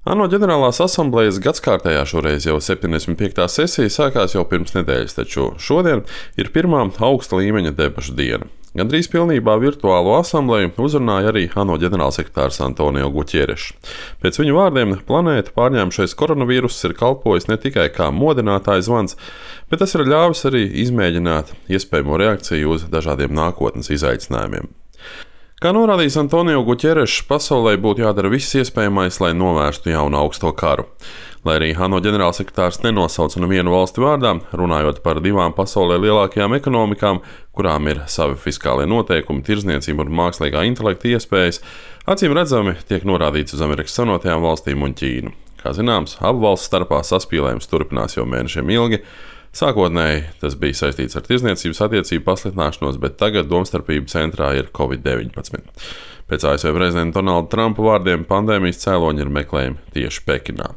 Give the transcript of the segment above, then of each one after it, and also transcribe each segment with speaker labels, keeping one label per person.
Speaker 1: ANO ģenerālās asamblejas gadskārtējā šoreiz jau 75. sesija sākās jau pirms nedēļas, taču šodien ir pirmā augsta līmeņa debašu diena. Gandrīz pilnībā virtuālo asambleju uzrunāja arī ANO ģenerālsekretārs Antonio Guterres. Pēc viņu vārdiem planētu pārņēmušais koronavīruss ir kalpojis ne tikai kā modinātājs zvans, bet tas ir ļāvis arī izmēģināt iespējamo reakciju uz dažādiem nākotnes izaicinājumiem. Kā norādījis Antonio Guterres, pasaulē būtu jādara viss iespējamais, lai novērstu jaunu augsto karu. Lai arī ANO ģenerālsekretārs nenosauca nevienu valsti vārdā, runājot par divām pasaulē lielākajām ekonomikām, kurām ir savi fiskālie noteikumi, tirdzniecība un mākslīgā intelekta iespējas, acīm redzami tiek norādīts uz Amerikas Savienotajām valstīm un Ķīnu. Kā zināms, abu valstu starpā saspīlējums turpinās jau mēnešiem ilgi. Sākotnēji tas bija saistīts ar tirdzniecības attiecību pasliktināšanos, bet tagad domstarpību centrā ir Covid-19. Pēc ASV prezidenta Donalda Trumpa vārdiem pandēmijas cēloņi ir meklējami tieši Pekinā.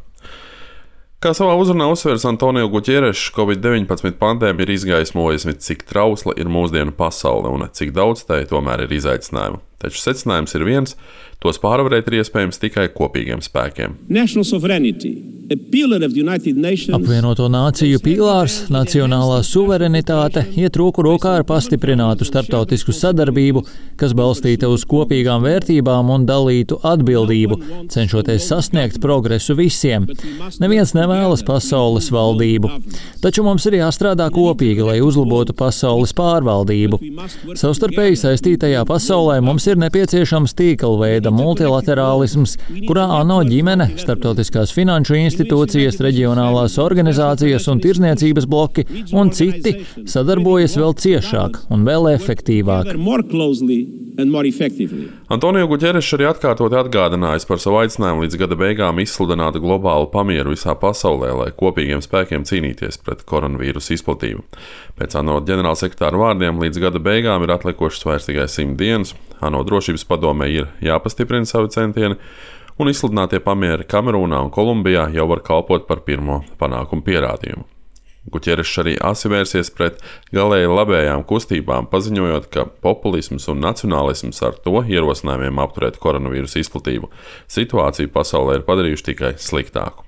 Speaker 1: Kā savā uzrunā uzsvērs Antonio Guterres, Covid-19 pandēmija ir izgaismojusi, cik trausla ir mūsdienu pasaule un cik daudz tai tomēr ir izaicinājumu. Taču secinājums ir viens – tos pārvarēt ir iespējams tikai kopīgiem spēkiem.
Speaker 2: Apvienoto nāciju pīlārs, nacionālā suverenitāte iet roku rokā ar pastiprinātu starptautisku sadarbību, kas balstīta uz kopīgām vērtībām un dalītu atbildību, cenšoties sasniegt progresu visiem. Neviens nevēlas pasaules valdību. Taču mums ir jāstrādā kopīgi, lai uzlabotu pasaules pārvaldību. Savstarpēji saistītajā pasaulē mums ir nepieciešams tīklveida multilaterālisms, kurā ANO ģimene, starptautiskās finanšu institūcijas, reģionālās organizācijas un tirdzniecības bloki un citi sadarbojas vēl ciešāk un vēl efektīvāk.
Speaker 1: Antonio Guterres arī atkārtoti atgādinājis par savu aicinājumu līdz gada beigām izsludināt globālu pamieru visā pasaulē, lai kopīgiem spēkiem cīnīties pret koronavīrusu izplatību. Pēc ANO ģenerālsekretāra vārdiem līdz gada beigām ir atlikušas vairs tikai 100 dienas. ANO drošības padomē ir jāpastiprina savi centieni, un izsludinātie pamieri Kamerūnā un Kolumbijā jau var kalpot par pirmo panākumu pierādījumu. Guterres arī asi vērsies pret galēji labējām kustībām, paziņojot, ka populisms un nacionālisms ar to ierosinājumiem apturēt koronavīrusu izplatību situāciju pasaulē ir padarījuši tikai sliktāku.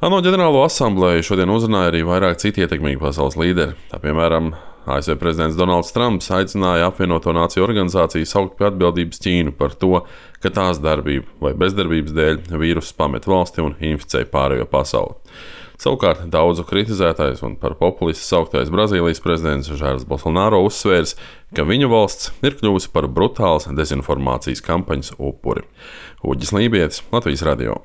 Speaker 1: ANO ģenerālo asambleju šodien uzrunāja arī vairāk citi ietekmīgi pasaules līderi. Tā piemēram, ASV prezidents Donalds Trumps aicināja apvienoto nāciju organizāciju saukt pie atbildības Ķīnu par to, ka tās darbību vai bezdarbības dēļ vīruss pamet valsti un inficēja pārējo pasauli. Savukārt daudzu kritizētais un par populistu sauktais Brazīlijas prezidents Žairs Bolsonaro uzsvērs, ka viņa valsts ir kļuvusi par brutālas dezinformācijas kampaņas upuri. Uģis Lībietis, Latvijas radio.